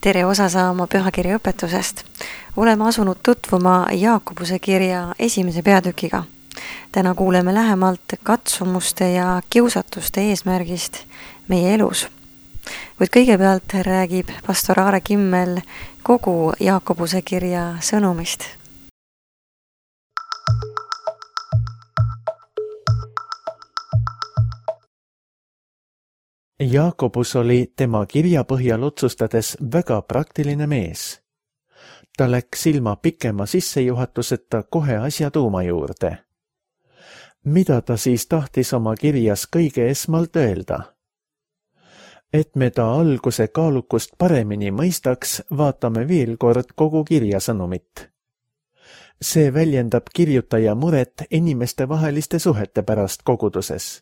Tere osa saama pühakirja õpetusest. Oleme asunud tutvuma Jaakobuse kirja 1. peatükiga. Täna kuuleme lähemalt katsumuste ja kiusatuste eesmärgist meie elus. Kuid kõigepealt räägib pastor Aare Kimmel kogu Jaakobuse kirja sõnumist. Jaakobus oli tema kirja põhjal otsustades väga praktiline mees. Ta läks ilma pikema sissejuhatuseta kohe asja tuuma juurde. Mida ta siis tahtis oma kirjas kõige esmalt öelda? Et me ta alguse kaalukust paremini mõistaks, vaatame veel kord kogu kirja sõnumit. See väljendab kirjutaja muret inimeste vaheliste suhete pärast koguduses.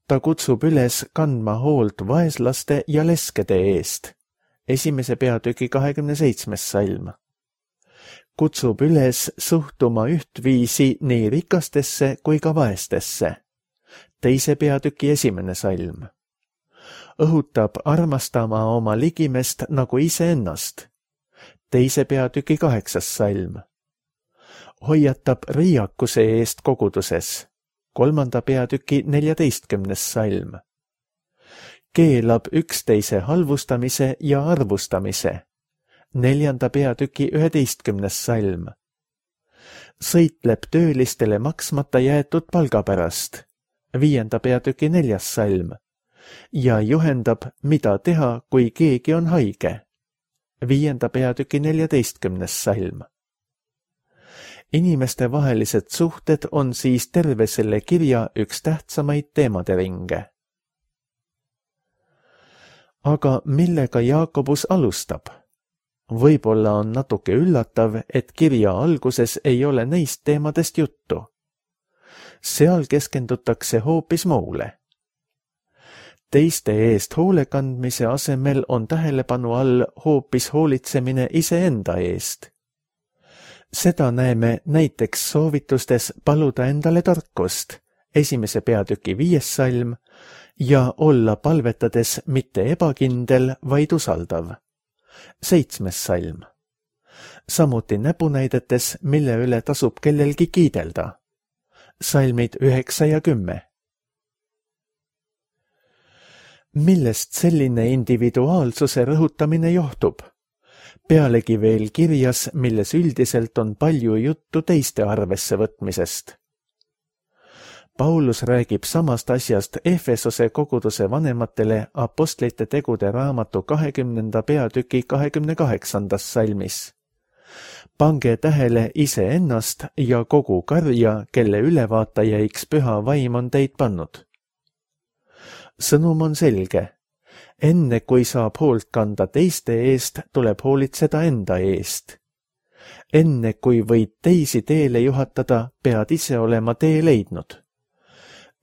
Ta kutsub üles kandma hoolt vaeslaste ja leskede eest. 1. peatüki 27. salm. Kutsub üles suhtuma ühtviisi nii rikastesse kui ka vaestesse. 2. peatüki 1. salm. Õhutab armastama oma ligimest nagu iseennast. 2. peatüki 8. salm. Hoiatab riiakuse eest koguduses. 3. peatüki 14. salm. Keelab üksteise halvustamise ja arvustamise. 4. peatüki 11. salm. Sõitleb töölistele maksmata jäetud palga pärast. 5. peatüki 4. salm. Ja juhendab, mida teha, kui keegi on haige. 5. peatüki 14. salm. Inimeste vahelised suhted on siis terve selle kirja üks tähtsamaid teemade ringe. Aga millega Jaakobus alustab? Võib-olla on natuke üllatav, et kirja alguses ei ole neist teemadest juttu. Seal keskendutakse hoopis muule. Teiste eest hoolekandmise asemel on tähelepanu all hoopis hoolitsemine iseenda eest. Seda näeme näiteks soovitustes paluda endale tarkust, 1. peatüki 5. salm, ja olla palvetades mitte ebakindel, vaid usaldav, 7. salm. Samuti näpunäidetes, mille üle tasub kellelgi kiidelda, salmid 9 ja 10. Millest selline individuaalsuse rõhutamine johtub? Pealegi veel kirjas, milles üldiselt on palju juttu teiste arvesse võtmisest. Paulus räägib samast asjast Efesose koguduse vanematele apostlite tegude raamatu 20. peatüki 28. salmis. Pange tähele iseennast ja kogu karja, kelle ülevaataja'iks püha vaim on teid pannud. Sõnum on selge. Enne kui saab hoolt kanda teiste eest, tuleb hoolitseda enda eest. Enne kui võid teisi teele juhatada, pead ise olema tee leidnud.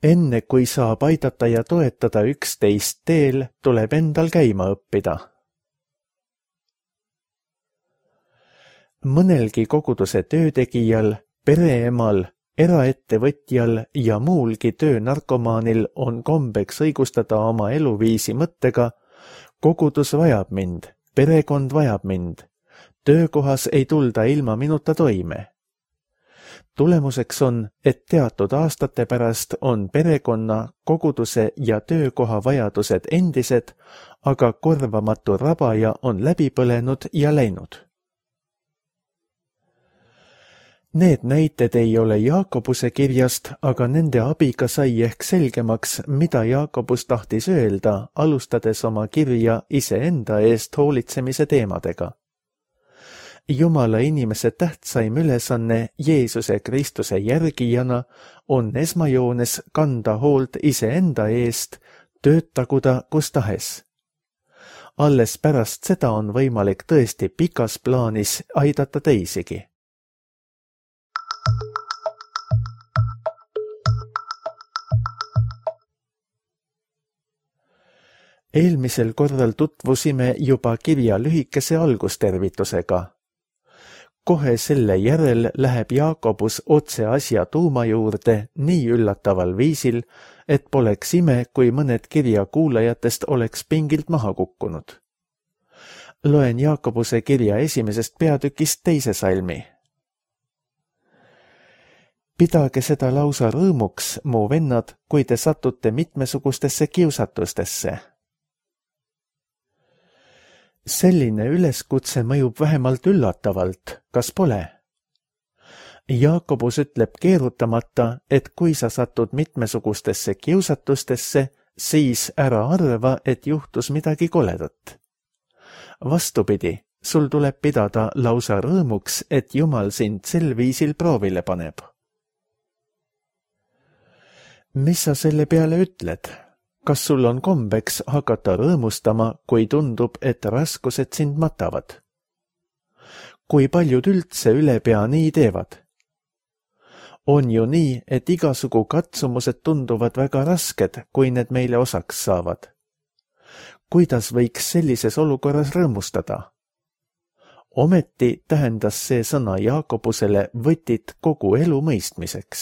Enne kui saab aidata ja toetada üksteist teel, tuleb endal käima õppida. Mõnelgi koguduse töötegijal, pereemal, eraettevõtjal ja muulgi töönarkomaanil on kombeks õigustada oma eluviisi mõttega: kogudus vajab mind, perekond vajab mind, töökohas ei tulda ilma minuta toime. Tulemuseks on, et teatud aastate pärast on perekonna, koguduse ja töökoha vajadused endised, aga korvamatu rabaja on läbi põlenud ja läinud. Need näited ei ole Jaakobuse kirjast, aga nende abiga sai ehk selgemaks, mida Jaakobus tahtis öelda, alustades oma kirja iseenda eest hoolitsemise teemadega. Jumala inimese tähtsaim ülesanne Jeesuse Kristuse järgijana on esmajoones kanda hoolt iseenda eest, töötagu ta kus tahes. Alles pärast seda on võimalik tõesti pikas plaanis aidata teisigi. Eelmisel korral tutvusime juba kirja lühikese algustervitusega. Kohe selle järel läheb Jaakobus otse asja tuuma juurde nii üllataval viisil, et poleks ime, kui mõned kirja kuulajatest oleks pingilt maha kukkunud. Loen Jaakobuse kirja 1. peatükist 2. salmi. Pidage seda lausa rõõmuks, mu vennad, kui te satute mitmesugustesse kiusatustesse. Selline üleskutse mõjub vähemalt üllatavalt, kas pole? Jaakobus ütleb keerutamata, et kui sa satud mitmesugustesse kiusatustesse, siis ära arva, et juhtus midagi koledat. Vastupidi, sul tuleb pidada lausa rõõmuks, et Jumal sind sel viisil proovile paneb. Mis sa selle peale ütled? Kas sul on kombeks hakata rõõmustama, kui tundub, et raskused sind matavad? Kui paljud üldse ülepea nii teevad? On ju nii, et igasugu katsumused tunduvad väga rasked, kui need meile osaks saavad. Kuidas võiks sellises olukorras rõõmustada? Ometi tähendas see sõna Jaakobusele võtit kogu elu mõistmiseks.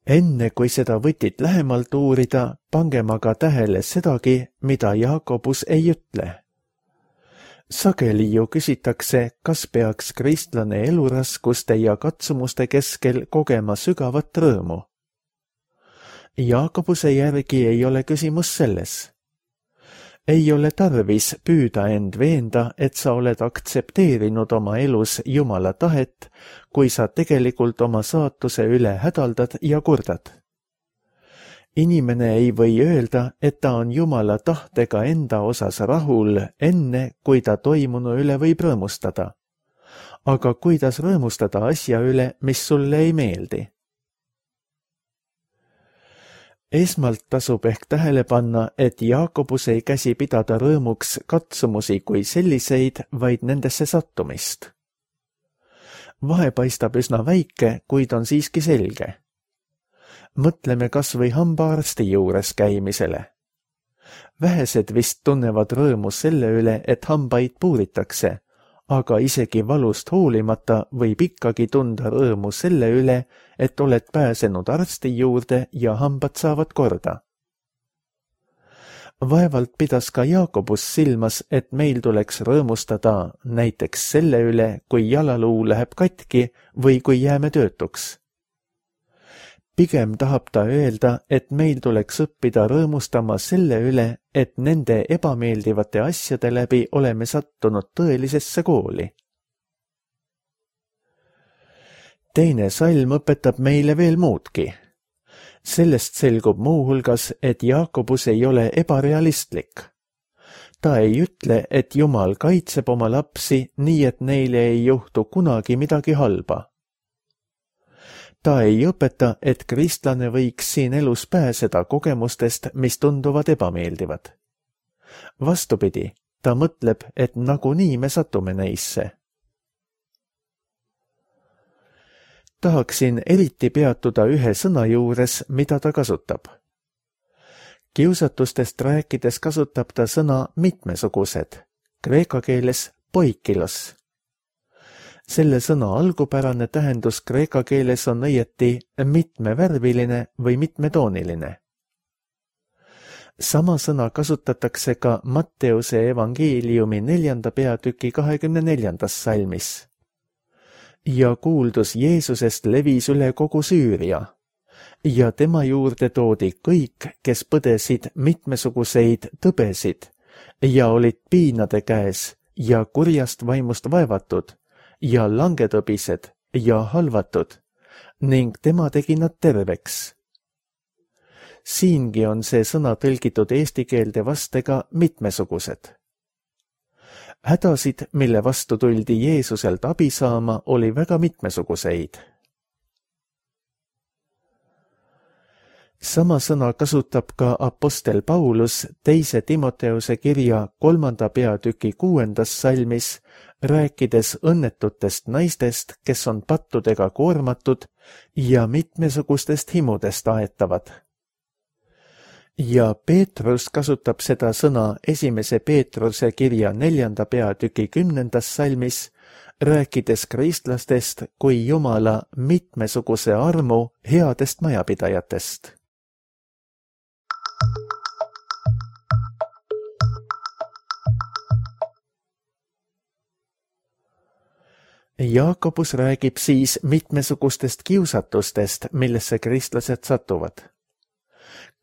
Enne kui seda võtit lähemalt uurida, pangem aga tähele sedagi, mida Jaakobus ei ütle. Sageli ju küsitakse, kas peaks kristlane eluraskuste ja katsumuste keskel kogema sügavat rõõmu. Jaakobuse järgi ei ole küsimus selles. Ei ole tarvis püüda end veenda, et sa oled aktsepteerinud oma elus Jumala tahet, kui sa tegelikult oma saatuse üle hädaldad ja kurdad. Inimene ei või öelda, et ta on Jumala tahtega enda osas rahul enne, kui ta toimunu üle võib rõõmustada. Aga kuidas rõõmustada asja üle, mis sulle ei meeldi? Esmalt tasub ehk tähele panna, et Jaakobus ei käsi pidada rõõmuks katsumusi kui selliseid, vaid nendesse sattumist. Vahe paistab üsna väike, kuid on siiski selge. Mõtleme kas või hambaarsti juures käimisele. Vähesed vist tunnevad rõõmu selle üle, et hambaid puuritakse, aga isegi valust hoolimata võib ikkagi tunda rõõmu selle üle, et oled pääsenud arsti juurde ja hambad saavad korda. Vaevalt pidas ka Jaakobus silmas, et meil tuleks rõõmustada näiteks selle üle, kui jalaluu läheb katki või kui jääme töötuks. Pigem tahab ta öelda, et meil tuleks õppida rõõmustama selle üle, et nende ebameeldivate asjade läbi oleme sattunud tõelisesse kooli. Teine salm õpetab meile veel muudki. Sellest selgub muuhulgas, et Jaakobus ei ole ebarealistlik. Ta ei ütle, et Jumal kaitseb oma lapsi nii, et neile ei juhtu kunagi midagi halba. Ta ei õpeta, et kristlane võiks siin elus pääseda kogemustest, mis tunduvad ebameeldivad. Vastupidi, ta mõtleb, et nagunii me satume neisse. Tahaksin eriti peatuda ühe sõna juures, mida ta kasutab. Kiusatustest rääkides kasutab ta sõna mitmesugused, kreeka keeles poikilos. Selle sõna algupärane tähendus kreeka keeles on õieti mitmevärviline või mitmetooniline. Sama sõna kasutatakse ka Matteuse evangeeliumi 4. peatüki 24. salmis. Ja kuuldus Jeesusest levis üle kogu Süüria ja tema juurde toodi kõik, kes põdesid mitmesuguseid tõbesid ja olid piinade käes ja kurjast vaimust vaevatud ja langetõbised ja halvatud, ning tema tegi nad terveks. Siingi on see sõna tõlgitud eesti keelde vastega mitmesugused. Hädasid, mille vastu tuldi Jeesuselt abi saama, oli väga mitmesuguseid. Sama sõna kasutab ka apostel Paulus 2. Timoteuse kirja 3. peatüki 6. salmis, rääkides õnnetutest naistest, kes on pattudega koormatud ja mitmesugustest himudest aetavad. Ja Peetrus kasutab seda sõna 1. Peetruse kirja 4. peatüki 10. salmis, rääkides kristlastest kui Jumala mitmesuguse armu headest majapidajatest. Jaakobus räägib siis mitmesugustest kiusatustest, millesse kristlased satuvad.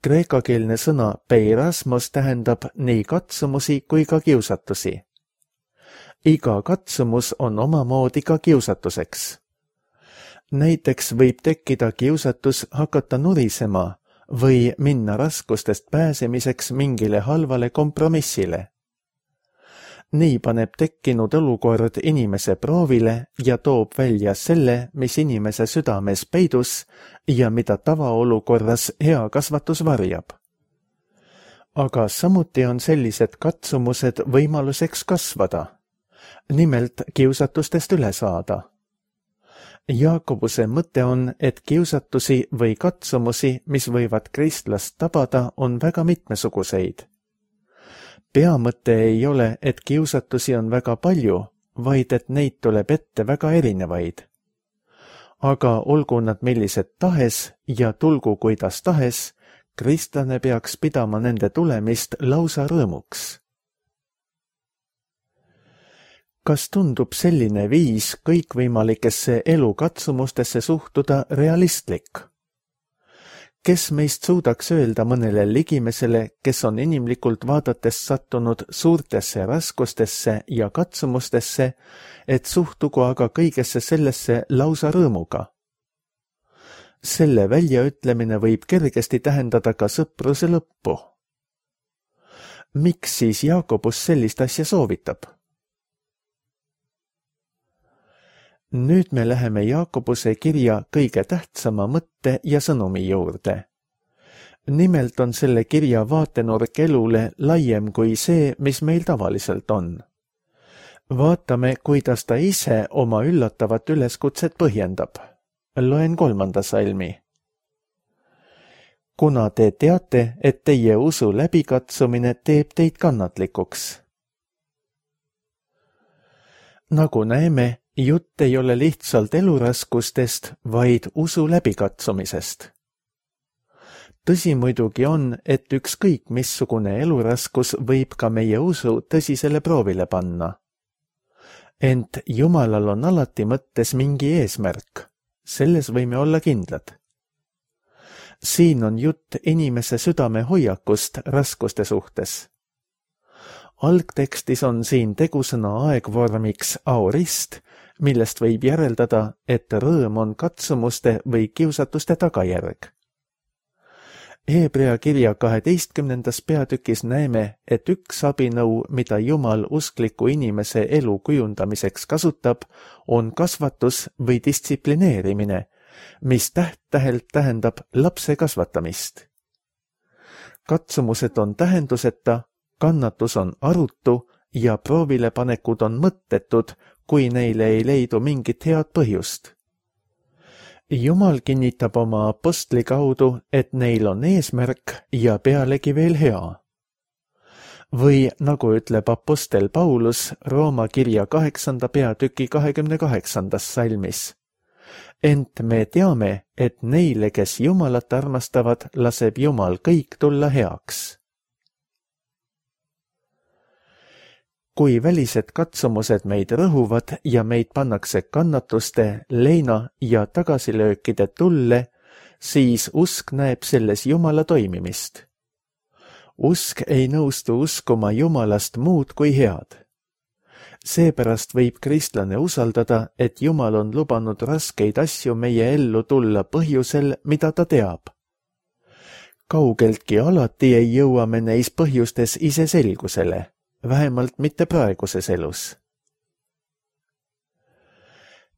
Kreekakeelne sõna peirasmos tähendab nii katsumusi kui ka kiusatusi. Iga katsumus on omamoodi ka kiusatuseks. Näiteks võib tekkida kiusatus hakata nurisema või minna raskustest pääsemiseks mingile halvale kompromissile. Nii paneb tekkinud olukord inimese proovile ja toob välja selle, mis inimese südames peidus ja mida tavaolukorras hea kasvatus varjab. Aga samuti on sellised katsumused võimaluseks kasvada, nimelt kiusatustest üle saada. Jaakobuse mõte on, et kiusatusi või katsumusi, mis võivad kristlast tabada, on väga mitmesuguseid. Peamõte ei ole, et kiusatusi on väga palju, vaid et neid tuleb ette väga erinevaid. Aga olgu nad millised tahes ja tulgu kuidas tahes, kristlane peaks pidama nende tulemist lausa rõõmuks. Kas tundub selline viis kõikvõimalikesse elukatsumustesse suhtuda realistlik? Kes meist suudaks öelda mõnele ligimesele, kes on inimlikult vaadates sattunud suurtesse raskustesse ja katsumustesse, et suhtugu aga kõigesse sellesse lausa rõõmuga? Selle väljaütlemine võib kergesti tähendada ka sõpruse lõppu. Miks siis Jaakobus sellist asja soovitab? Nüüd me läheme Jaakobuse kirja kõige tähtsama mõtte ja sõnumi juurde. Nimelt on selle kirja vaatenurk elule laiem kui see, mis meil tavaliselt on. Vaatame, kuidas ta ise oma üllatavat üleskutset põhjendab. Loen 3. salmi. Kuna te teate, et teie usu läbikatsumine teeb teid kannatlikuks. Nagu näeme, jutt ei ole lihtsalt eluraskustest, vaid usu läbikatsumisest. Tõsi muidugi on, et ükskõik missugune eluraskus võib ka meie usu tõsisele proovile panna. Ent Jumalal on alati mõttes mingi eesmärk, selles võime olla kindlad. Siin on jutt inimese südame hoiakust raskuste suhtes. Algtekstis on siin tegusõna aegvormiks aorist, millest võib järeldada, et rõõm on katsumuste või kiusatuste tagajärg. Hebrea kirja 12. peatükis näeme, et üks abinõu, mida Jumal uskliku inimese elu kujundamiseks kasutab, on kasvatus või distsiplineerimine, mis täht-tähelt tähendab lapse kasvatamist. Katsumused on tähenduseta, kannatus on arutu ja proovilepanekud on mõttetud, kui neile ei leidu mingit head põhjust. Jumal kinnitab oma apostli kaudu, et neil on eesmärk ja pealegi veel hea. Või nagu ütleb apostel Paulus Rooma kirja 8. peatüki 28. salmis. Ent me teame, et neile, kes Jumalat armastavad, laseb Jumal kõik tulla heaks. Kui välised katsumused meid rõhuvad ja meid pannakse kannatuste, leina ja tagasilöökide tulle, siis usk näeb selles Jumala toimimist. Usk ei nõustu uskuma Jumalast muud kui head. Seepärast võib kristlane usaldada, et Jumal on lubanud raskeid asju meie ellu tulla põhjusel, mida ta teab. Kaugeltki alati ei jõua me neis põhjustes ise selgusele. Vähemalt mitte praeguses elus.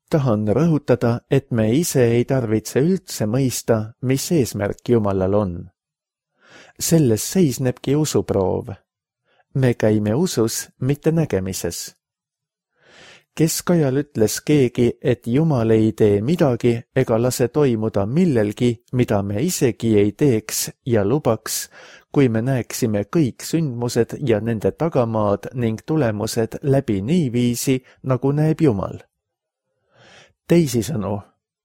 Tahan rõhutada, et me ise ei tarvitse üldse mõista, mis eesmärk Jumalal on. Selles seisnebki usuproov. Me käime usus, mitte nägemises. Keskajal ütles keegi, et Jumal ei tee midagi ega lase toimuda millelgi, mida me isegi ei teeks ja lubaks, kui me näeksime kõik sündmused ja nende tagamaad ning tulemused läbi niiviisi, nagu näeb Jumal. Teisisõnu,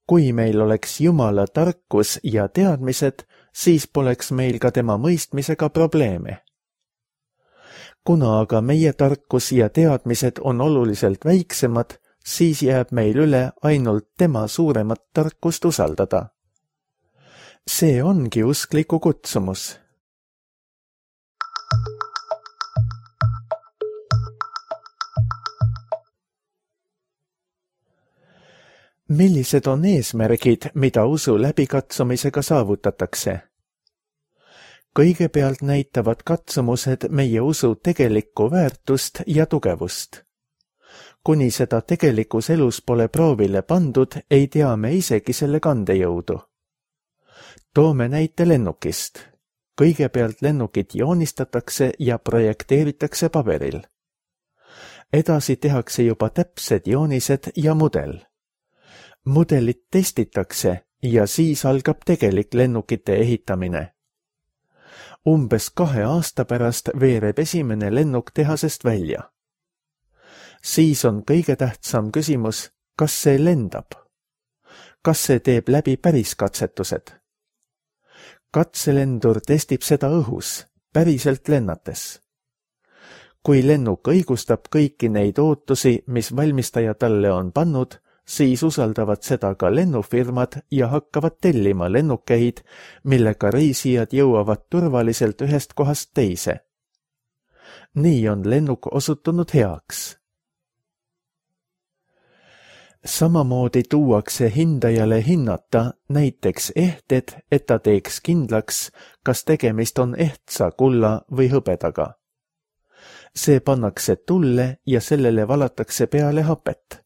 kui meil oleks Jumala tarkus ja teadmised, siis poleks meil ka tema mõistmisega probleeme. Kuna aga meie tarkus ja teadmised on oluliselt väiksemad, siis jääb meil üle ainult tema suuremat tarkust usaldada. See ongi uskliku kutsumus. Millised on eesmärgid, mida usu läbikatsumisega saavutatakse? Kõigepealt näitavad katsumused meie usu tegelikku väärtust ja tugevust. Kuni seda tegelikus elus pole proovile pandud, ei tea me isegi selle kandejõudu. Toome näite lennukist. Kõigepealt lennukit joonistatakse ja projekteeritakse paberil. Edasi tehakse juba täpsed joonised ja mudel. Mudelit testitakse ja siis algab tegelik lennukite ehitamine. Umbes 2 aasta pärast veereb esimene lennuk tehasest välja. Siis on kõige tähtsam küsimus, kas see lendab? Kas see teeb läbi päris katsetused? Katselendur testib seda õhus, päriselt lennates. Kui lennuk õigustab kõiki neid ootusi, mis valmistaja talle on pannud, siis usaldavad seda ka lennufirmad ja hakkavad tellima lennukeid, millega reisijad jõuavad turvaliselt ühest kohast teise. Nii on lennuk osutunud heaks. Samamoodi tuuakse hindajale hinnata näiteks ehted, et ta teeks kindlaks, kas tegemist on ehtsa kulla või hõbedaga. See pannakse tulle ja sellele valatakse peale hapet.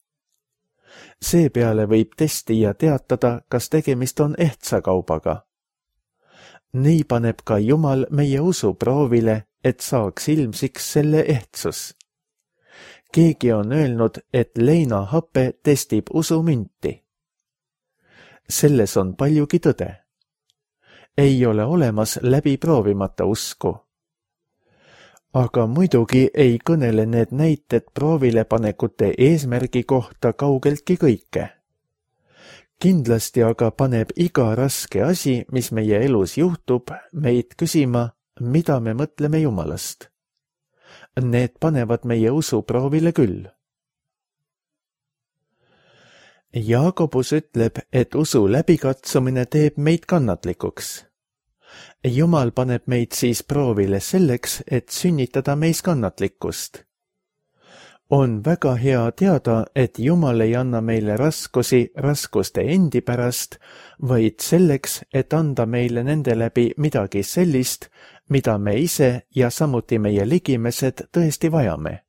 Seepeale võib testija teatada, kas tegemist on ehtsa kaubaga. Nii paneb ka Jumal meie usu proovile, et saaks ilmsiks selle ehtsus. Keegi on öelnud, et leinahape testib usumünti. Selles on paljugi tõde. Ei ole olemas läbi proovimata usku. Aga muidugi ei kõnele need näited proovilepanekute eesmärgi kohta kaugeltki kõike. Kindlasti aga paneb iga raske asi, mis meie elus juhtub, meid küsima, mida me mõtleme Jumalast. Need panevad meie usu proovile küll. Jaakobus ütleb, et usu läbikatsumine teeb meid kannatlikuks. Jumal paneb meid siis proovile selleks, et sünnitada meis kannatlikkust. On väga hea teada, et Jumal ei anna meile raskusi raskuste endi pärast, vaid selleks, et anda meile nende läbi midagi sellist, mida me ise ja samuti meie ligimesed tõesti vajame.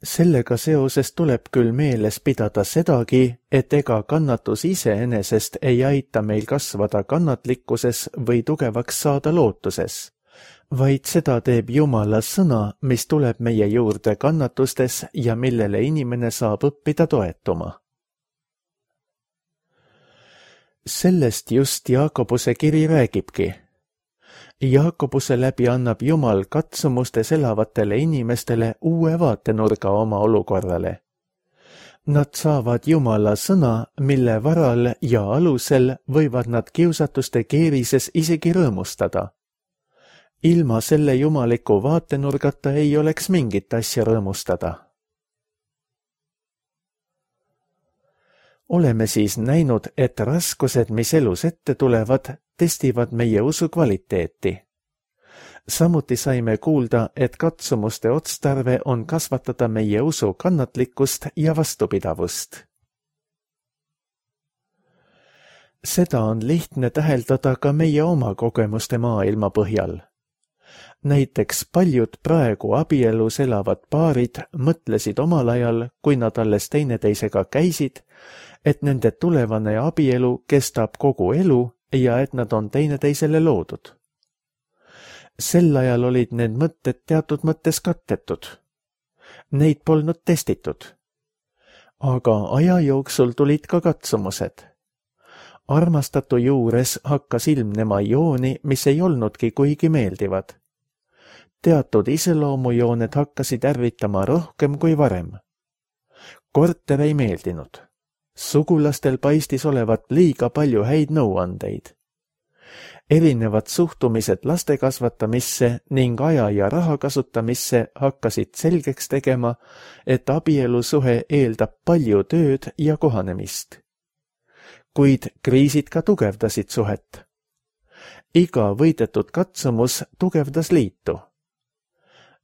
Sellega seoses tuleb küll meeles pidada sedagi, et ega kannatus iseenesest ei aita meil kasvada kannatlikkuses või tugevaks saada lootuses, vaid seda teeb Jumala sõna, mis tuleb meie juurde kannatustes ja millele inimene saab õppida toetuma. Sellest just Jaakobuse kiri räägibki. Jaakobuse läbi annab Jumal katsumustes elavatele inimestele uue vaatenurga oma olukorrale. Nad saavad Jumala sõna, mille varal ja alusel võivad nad kiusatuste keerises isegi rõõmustada. Ilma selle jumaliku vaatenurgata ei oleks mingit asja rõõmustada. Oleme siis näinud, et raskused, mis elus ette tulevad, testivad meie usu kvaliteeti. Samuti saime kuulda, et katsumuste otstarve on kasvatada meie usu kannatlikkust ja vastupidavust. Seda on lihtne täheldada ka meie oma kogemuste maailma põhjal. Näiteks paljud praegu abielus elavad paarid mõtlesid omal ajal, kui nad alles teineteisega käisid, et nende tulevane abielu kestab kogu elu ja et nad on teineteisele loodud. Sel ajal olid need mõtted teatud mõttes kattetud. Neid polnud testitud. Aga aja jooksul tulid ka katsumused. Armastatu juures hakkas ilmnema jooni, mis ei olnudki kuigi meeldivad. Teatud iseloomujooned hakkasid ärritama rohkem kui varem. Korter ei meeldinud. Sugulastel paistis olevat liiga palju häid nõuandeid. Erinevad suhtumised laste kasvatamisse ning aja ja raha kasutamisse hakkasid selgeks tegema, et abielusuhe eeldab palju tööd ja kohanemist. Kuid kriisid ka tugevdasid suhet. Iga võidetud katsumus tugevdas liitu.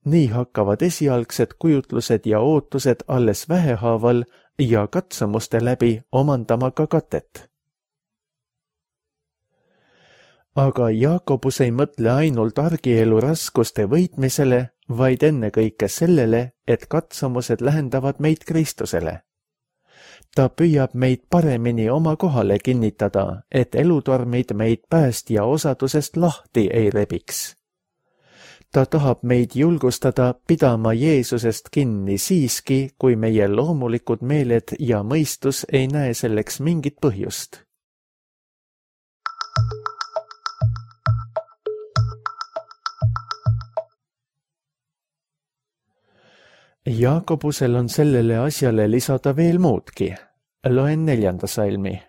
Nii hakkavad esialgsed kujutlused ja ootused alles vähehaaval ja katsumuste läbi omandama ka katet. Aga Jaakobus ei mõtle ainult argielu raskuste võitmisele, vaid ennekõike sellele, et katsumused lähendavad meid Kristusele. Ta püüab meid paremini oma kohale kinnitada, et elutormid meid päästja osadusest lahti ei rebiks. Ta tahab meid julgustada pidama Jeesusest kinni siiski, kui meie loomulikud meeled ja mõistus ei näe selleks mingit põhjust. Jaakobusel on sellele asjale lisada veel muudki. Loen 4. salmi.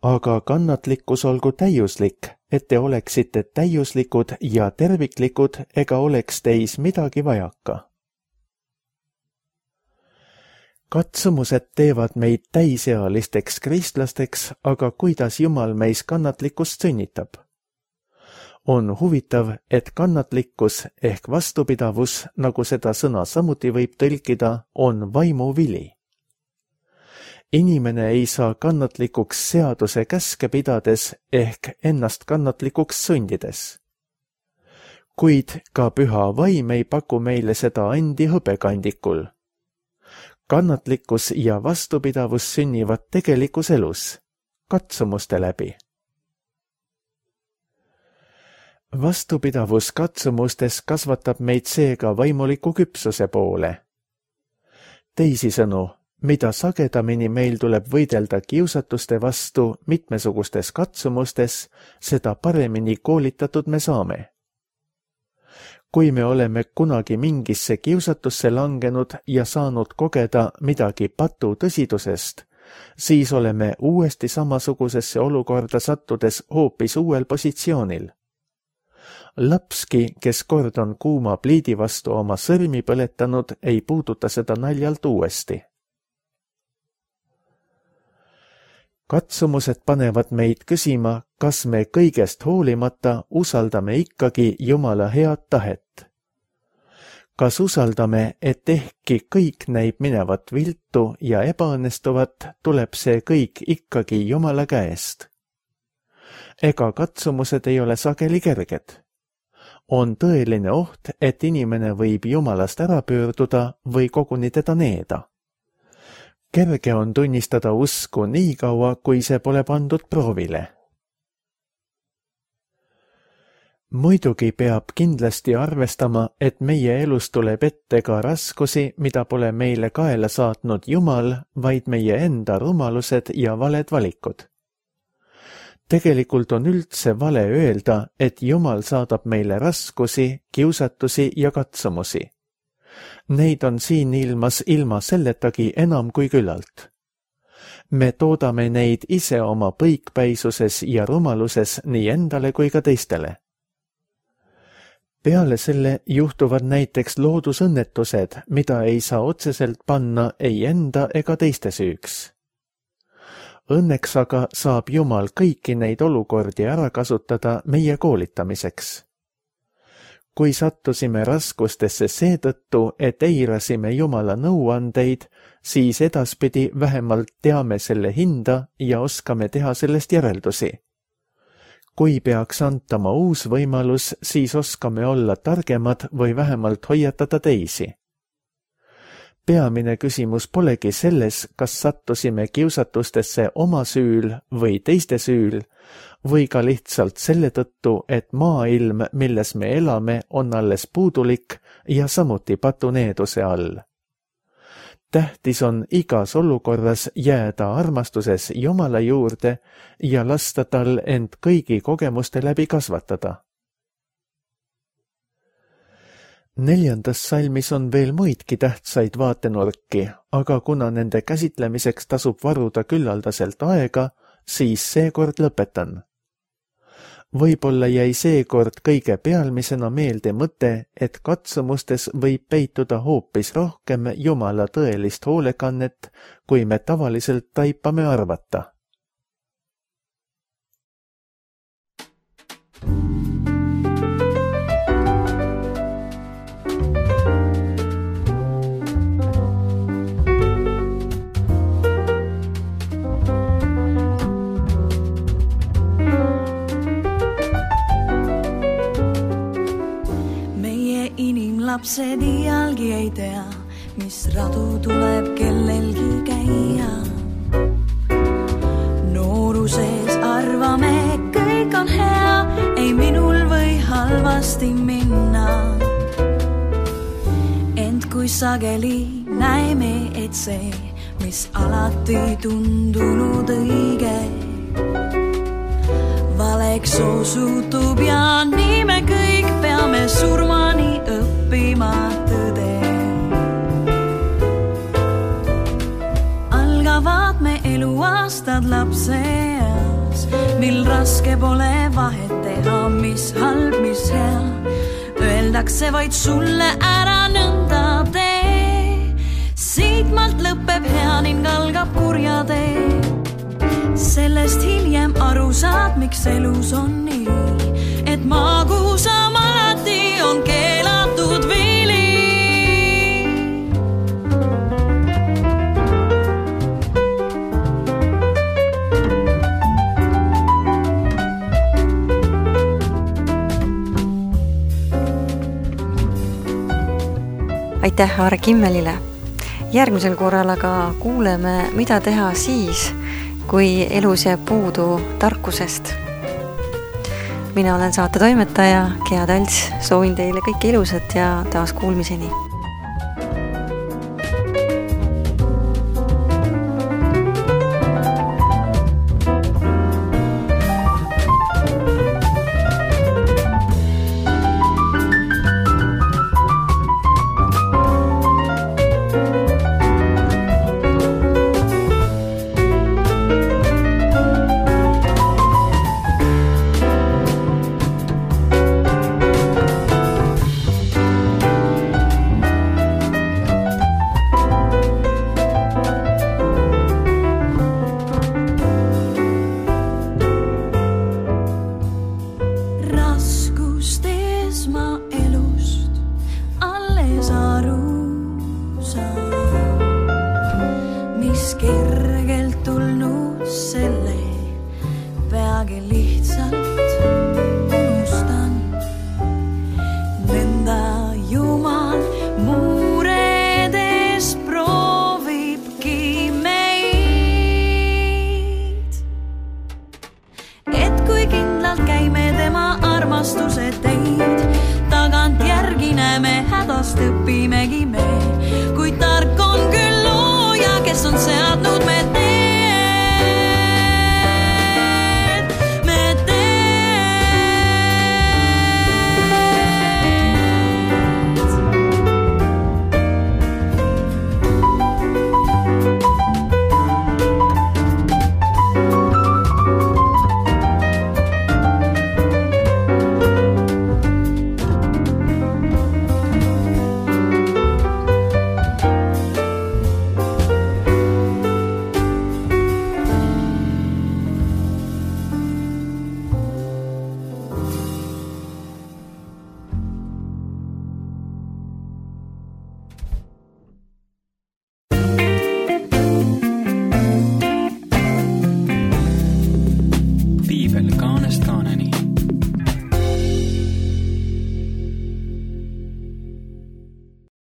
Aga kannatlikkus olgu täiuslik, et te oleksite täiuslikud ja terviklikud ega oleks teis midagi vajaka. Katsumused teevad meid täisealisteks kristlasteks, aga kuidas Jumal meis kannatlikkust sünnitab? On huvitav, et kannatlikkus ehk vastupidavus, nagu seda sõna samuti võib tõlkida, on vaimu vili. Inimene ei saa kannatlikuks seaduse käske pidades ehk ennast kannatlikuks sundides. Kuid ka püha vaim ei paku meile seda andi hõbekandikul. Kannatlikkus ja vastupidavus sünnivad tegelikus elus, katsumuste läbi. Vastupidavus katsumustes kasvatab meid seega vaimuliku küpsuse poole. Teisisõnu, mida sagedamini meil tuleb võidelda kiusatuste vastu mitmesugustes katsumustes, seda paremini koolitatud me saame. Kui me oleme kunagi mingisse kiusatusse langenud ja saanud kogeda midagi patu tõsidusest, siis oleme uuesti samasugusesse olukorda sattudes hoopis uuel positsioonil. Lapski, kes kord on kuuma pliidi vastu oma sõrmi põletanud, ei puuduta seda naljalt uuesti. Katsumused panevad meid küsima, kas me kõigest hoolimata usaldame ikkagi Jumala head tahet. Kas usaldame, et ehkki kõik näib minevat viltu ja ebaõnnestuvat, tuleb see kõik ikkagi Jumala käest. Ega katsumused ei ole sageli kerged. On tõeline oht, et inimene võib Jumalast ära pöörduda või koguni teda needa. Kerge on tunnistada usku nii kaua, kui see pole pandud proovile. Muidugi peab kindlasti arvestama, et meie elus tuleb ette ka raskusi, mida pole meile kaela saatnud Jumal, vaid meie enda rumalused ja valed valikud. Tegelikult on üldse vale öelda, et Jumal saadab meile raskusi, kiusatusi ja katsumusi. Neid on siin ilmas ilma selletagi enam kui küllalt. Me toodame neid ise oma põikpäisuses ja rumaluses nii endale kui ka teistele. Peale selle juhtuvad näiteks loodusõnnetused, mida ei saa otseselt panna ei enda ega teiste süüks. Õnneks aga saab Jumal kõiki neid olukordi ära kasutada meie koolitamiseks. Kui sattusime raskustesse seetõttu, et eirasime Jumala nõuandeid, siis edaspidi vähemalt teame selle hinda ja oskame teha sellest järeldusi. Kui peaks antama uus võimalus, siis oskame olla targemad või vähemalt hoiatada teisi. Peamine küsimus polegi selles, kas sattusime kiusatustesse oma süül või teiste süül, või ka lihtsalt selle tõttu, et maailm, milles me elame, on alles puudulik ja samuti patuneeduse all. Tähtis on igas olukorras jääda armastuses Jumala juurde ja lasta tal end kõigi kogemuste läbi kasvatada. 4. salmis on veel muidki tähtsaid vaatenurki, aga kuna nende käsitlemiseks tasub varuda küllaldaselt aega, siis seekord lõpetan. Võib-olla jäi seekord kõige pealmisena meelde mõte, et katsumustes võib peituda hoopis rohkem Jumala tõelist hoolekannet, kui me tavaliselt taipame arvata. Lapsed iialgi ei tea, mis radu tuleb kellelgi käia. Nooruses arvame, kõik on hea, ei minul või halvasti minna. Ent kui sageli näeme, et see, mis alati tundunud õige, valeks osutub ja nii me kõik peame surmani õppima tõde. Algavad me eluaastad lapseeas, mil raske pole vahet teha, mis halb, mis hea. Öeldakse vaid sulle ära nõnda tee. Siitmalt lõpeb hea ning algab kurja tee. Sellest hiljem aru saad, miks elus on nii, et magusam alati on keelatud vili. Aitäh Aare Kimmelile! Järgmisel korral aga kuuleme, mida teha siis, kui elus jääb puudu tarkusest. Mina olen saate toimetaja Gea Talts, soovin teile kõike ilusat ja taas kuulmiseni.